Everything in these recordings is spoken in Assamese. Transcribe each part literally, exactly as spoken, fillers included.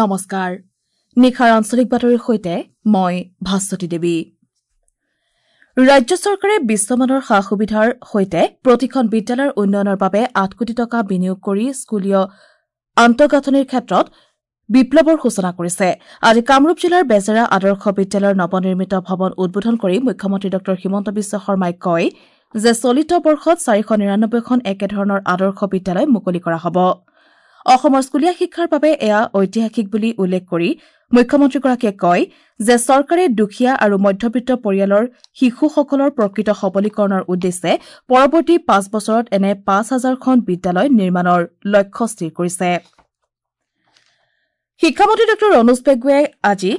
নমস্কাৰ। নিশাৰ আঞ্চলিক বাতৰিৰ সৈতে মই ভাস্বতী দেৱী। ৰাজ্য চৰকাৰে বিশ্বমানৰ সা সুবিধাৰ সৈতে প্ৰতিখন বিদ্যালয়ৰ উন্নয়নৰ বাবে আঠ কোটি টকা বিনিয়োগ কৰি স্কুলীয় আন্তঃগাঁথনিৰ ক্ষেত্ৰত বিপ্লৱৰ সূচনা কৰিছে। আজি কামৰূপ জিলাৰ বেজেৰা আদৰ্শ বিদ্যালয়ৰ নৱনিৰ্মিত ভৱন উদ্বোধন কৰি মুখ্যমন্ত্ৰী ডঃ হিমন্ত বিশ্ব শৰ্মাই কয় যে চলিত বৰ্ষত চাৰিশ নিৰানব্বৈখন একেধৰণৰ আদৰ্শ বিদ্যালয় মুকলি কৰা হ'ব। অসমৰ স্কুলীয়া শিক্ষাৰ বাবে এয়া ঐতিহাসিক বুলি উল্লেখ কৰি মুখ্যমন্ত্ৰীগৰাকীয়ে কয় যে চৰকাৰে দুখীয়া আৰু মধ্যবিত্ত পৰিয়ালৰ শিশুসকলৰ প্ৰকৃত সবলীকৰণৰ উদ্দেশ্যে পৰৱৰ্তী পাঁচ বছৰত এনে পাঁচ হাজাৰখন বিদ্যালয় নিৰ্মাণৰ লক্ষ্য স্থিৰ কৰিছে। শিক্ষামন্ত্ৰী ডঃ ৰণোজ পেগুৱে আজি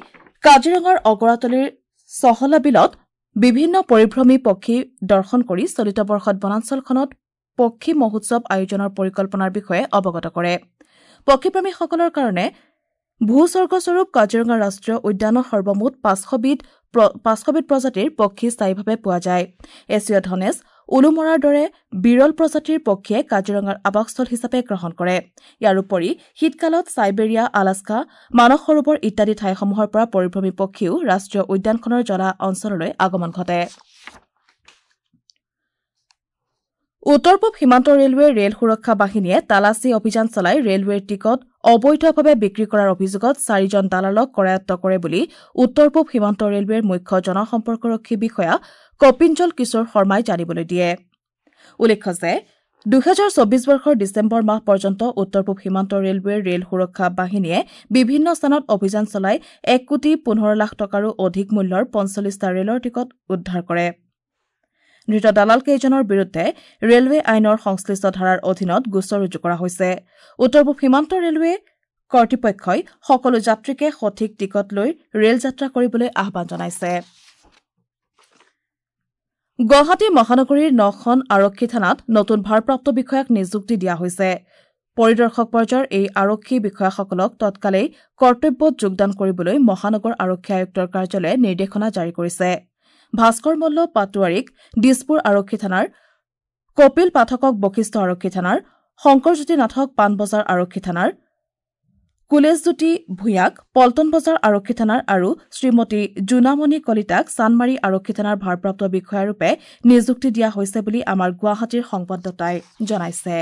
কাজিৰঙাৰ অগৰাতলিৰ চহলা বিলত বিভিন্ন পৰিভ্ৰমী পক্ষী দৰ্শন কৰি চলিত বৰ্ষত বনাঞ্চলখনত পক্ষী মহোৎসৱ আয়োজনৰ পৰিকল্পনাৰ বিষয়ে অৱগত কৰে। পক্ষীপ্ৰেমীসকলৰ কাৰণে ভূস্বৰ্গস্বৰূপ কাজিৰঙা ৰাষ্ট্ৰীয় উদ্যানত সৰ্বমুঠ পাঁচশবিধ পাঁচশবিধ প্ৰজাতিৰ পক্ষী স্থায়ীভাৱে পোৱা যায়। এছীয় ধনেশ, উলুমৰাৰ দৰে বিৰল প্ৰজাতিৰ পক্ষীয়ে কাজিৰঙাৰ আৱাসস্থল হিচাপে গ্ৰহণ কৰে। ইয়াৰ উপৰি শীতকালত চাইবেৰিয়া, আলাস্কা, মানস সৰোবৰ ইত্যাদি ঠাইসমূহৰ পৰা পৰিভ্ৰমী পক্ষীও ৰাষ্ট্ৰীয় উদ্যানখনৰ জলা অঞ্চললৈ আগমন ঘটে। উত্তৰ পূব সীমান্ত ৰেলৱেৰ ৰেল সুৰক্ষা বাহিনীয়ে তালাচী অভিযান চলাই ৰেলৱেৰ টিকট অবৈধভাৱে বিক্ৰী কৰাৰ অভিযোগত চাৰিজন দালালক কৰায়ত্ব কৰে বুলি উত্তৰ পূব সীমান্ত ৰেলৱেৰ মুখ্য জনসম্পৰ্কৰক্ষী বিষয়া কপিঞ্জল কিশোৰ শৰ্মাই জানিবলৈ দিয়ে। উল্লেখ্য যে দুহেজাৰ চৌবিশ বৰ্ষৰ ডিচেম্বৰ মাহ পৰ্যন্ত উত্তৰ পূব সীমান্ত ৰেলৱেৰ ৰেল সুৰক্ষা বাহিনীয়ে বিভিন্ন স্থানত অভিযান চলাই এক কোটি পোন্ধৰ লাখ টকাৰো অধিক মূল্যৰ পঞ্চল্লিছটা ৰেলৰ টিকট উদ্ধাৰ কৰে। ধৃত দালালকেইজনৰ বিৰুদ্ধে ৰেলৱে আইনৰ সংশ্লিষ্ট ধাৰাৰ অধীনত গোচৰ ৰুজু কৰা হৈছে। উত্তৰ পূব সীমান্ত ৰেলৱে কৰ্তৃপক্ষই সকলো যাত্ৰীকে সঠিক টিকট লৈ ৰেল যাত্ৰা কৰিবলৈ আহ্বান জনাইছে। গুৱাহাটী মহানগৰীৰ নখন আৰক্ষী থানাত নতুন ভাৰপ্ৰাপ্ত বিষয়াক নিযুক্তি দিয়া হৈছে। পৰিদৰ্শক পৰ্যায়ৰ এই আৰক্ষী বিষয়াসকলক তৎকালেই কৰ্তব্যত যোগদান কৰিবলৈ মহানগৰ আৰক্ষী আয়ুক্তৰ কাৰ্যালয়ে নিৰ্দেশনা জাৰি কৰিছে। ভাস্কৰ মল্ল পাটোৱাৰীক দিছপুৰ আৰক্ষী থানাৰ, কপিল পাঠকক বশিষ্ঠ আৰক্ষী থানাৰ, শংকৰজ্যোতি নাথক পাণবজাৰ আৰক্ষী থানাৰ, কুলেশজ্যোতি ভূঞাক পল্টন বজাৰ আৰক্ষী থানাৰ আৰু শ্ৰীমতী জোনামণি কলিতাক চানমাৰী আৰক্ষী থানাৰ ভাৰপ্ৰাপ্ত বিষয়াৰূপে নিযুক্তি দিয়া হৈছে বুলি আমাৰ গুৱাহাটীৰ সংবাদদাতাই জনাইছে।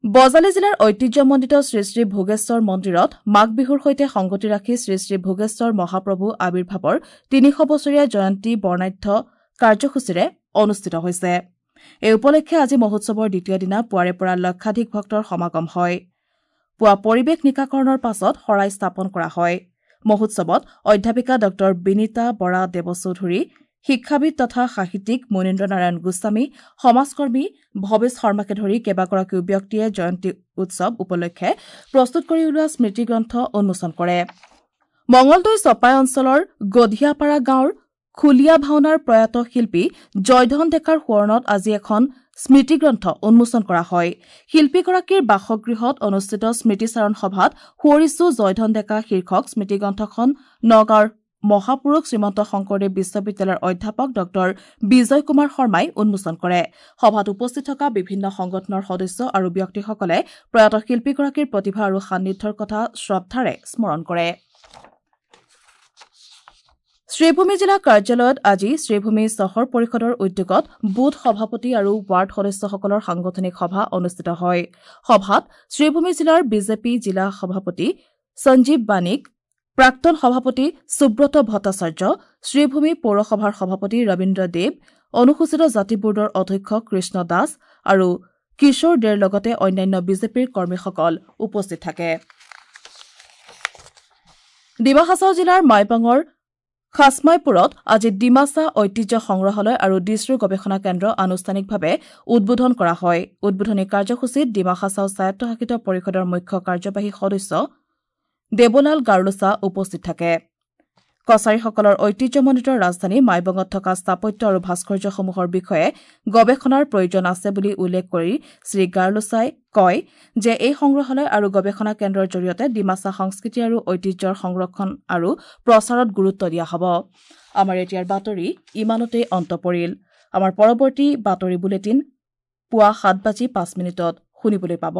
বজালী জিলাৰ ঐতিহ্যমণ্ডিত শ্ৰীশ্ৰী ভোগেশ্বৰ মন্দিৰত মাঘ বিহুৰ সৈতে সংগতি ৰাখি শ্ৰীশ্ৰী ভোগেশ্বৰ মহাপ্ৰভু আৱিৰ্ভাৱৰ তিনিশ বছৰীয়া জয়ন্তী বৰ্ণাঢ্য কাৰ্যসূচীৰে অনুষ্ঠিত হৈছে। এই উপলক্ষে আজি মহোৎসৱৰ দ্বিতীয় দিনা পুৱাৰে পৰা লক্ষাধিক ভক্তৰ সমাগম হয়। পুৱা পৰিৱেশ নিকাকৰণৰ পাছত শৰাই স্থাপন কৰা হয়। মহোৎসৱত অধ্যাপিকা ডঃ বিনীতা বৰা দেৱচৌধুৰী, শিক্ষাবিদ তথা সাহিত্যিক মনীন্দ্ৰ নাৰায়ণ গোস্বামী, সমাজকৰ্মী ভৱেশ শৰ্মাকে ধৰি কেইবাগৰাকীও ব্যক্তিয়ে জয়ন্তী উৎসৱ উপলক্ষে প্ৰস্তুত কৰি উলিওৱা স্মৃতিগ্ৰন্থ উন্মোচন কৰে। মঙলদৈ চপাই অঞ্চলৰ গধিয়াপাৰা গাঁৱৰ খুলীয়া ভাওনাৰ প্ৰয়াত শিল্পী জয়ধন ডেকাৰ সোঁৱৰণত আজি এখন স্মৃতিগ্ৰন্থ উন্মোচন কৰা হয়। শিল্পীগৰাকীৰ বাসগৃহত অনুষ্ঠিত স্মৃতিচাৰণ সভাত সুঁৱৰিছো জয়ধন ডেকা শীৰ্ষক স্মৃতিগ্ৰন্থখন নগাঁৱৰ মহাপুৰুষ শ্ৰীমন্ত শংকৰদেৱ বিশ্ববিদ্যালয়ৰ অধ্যাপক ডঃ বিজয় কুমাৰ শৰ্মাই উন্মোচন কৰে। সভাত উপস্থিত থকা বিভিন্ন সংগঠনৰ সদস্য আৰু ব্যক্তিসকলে প্ৰয়াত শিল্পীগৰাকীৰ প্ৰতিভা আৰু সান্নিধ্যৰ কথা শ্ৰদ্ধাৰে স্মৰণ কৰে। শ্ৰীভূমি জিলা কাৰ্যালয়ত আজি শ্ৰীভূমি চহৰ পৰিষদৰ উদ্যোগত বুথ সভাপতি আৰু ৱাৰ্ড সদস্যসকলৰ সাংগঠনিক সভা অনুষ্ঠিত হয়। সভাত শ্ৰীভূমি জিলাৰ বিজেপি জিলা সভাপতি সঞ্জীৱ বাণিক, প্ৰাক্তন সভাপতি সুব্ৰত ভট্টাচাৰ্য, শ্ৰীভূমি পৌৰসভাৰ সভাপতি ৰবীন্দ্ৰ দেৱ, অনুসূচিত জাতি বোৰ্ডৰ অধ্যক্ষ কৃষ্ণ দাস আৰু কিশোৰ দেৰ লগতে অন্যান্য বিজেপিৰ কৰ্মীসকল উপস্থিত থাকে। ডিমা হাছাও জিলাৰ মাইবাঙৰ খাচমাইপুৰত আজি ডিমাছা ঐতিহ্য সংগ্ৰহালয় আৰু ডিছৰু গৱেষণা কেন্দ্ৰ আনুষ্ঠানিকভাৱে উদ্বোধন কৰা হয়। উদ্বোধনী কাৰ্যসূচীত ডিমা হাছাও স্বায়ত্তশাসিত পৰিষদৰ মুখ্য কাৰ্যবাহী সদস্য দেৱলাল গাৰ্লোচা উপস্থিত থাকে। কছাৰীসকলৰ ঐতিহ্যমণ্ডিত ৰাজধানী মাইবঙত থকা স্থাপত্য আৰু ভাস্কৰ্যসমূহৰ বিষয়ে গৱেষণাৰ প্ৰয়োজন আছে বুলি উল্লেখ কৰি শ্ৰী গাৰ্লোচাই কয় যে এই সংগ্ৰহালয় আৰু গৱেষণা কেন্দ্ৰৰ জৰিয়তে ডিমাছা সংস্কৃতি আৰু ঐতিহ্যৰ সংৰক্ষণ আৰু প্ৰচাৰত গুৰুত্ব দিয়া হ'ব। আমাৰ এতিয়াৰ বাতৰি ইমানতেই অন্ত পৰিল। আমাৰ পৰৱৰ্তী বাতৰি বুলেটিন পুৱা সাত বাজি পাঁচ মিনিটত শুনিবলৈ পাব।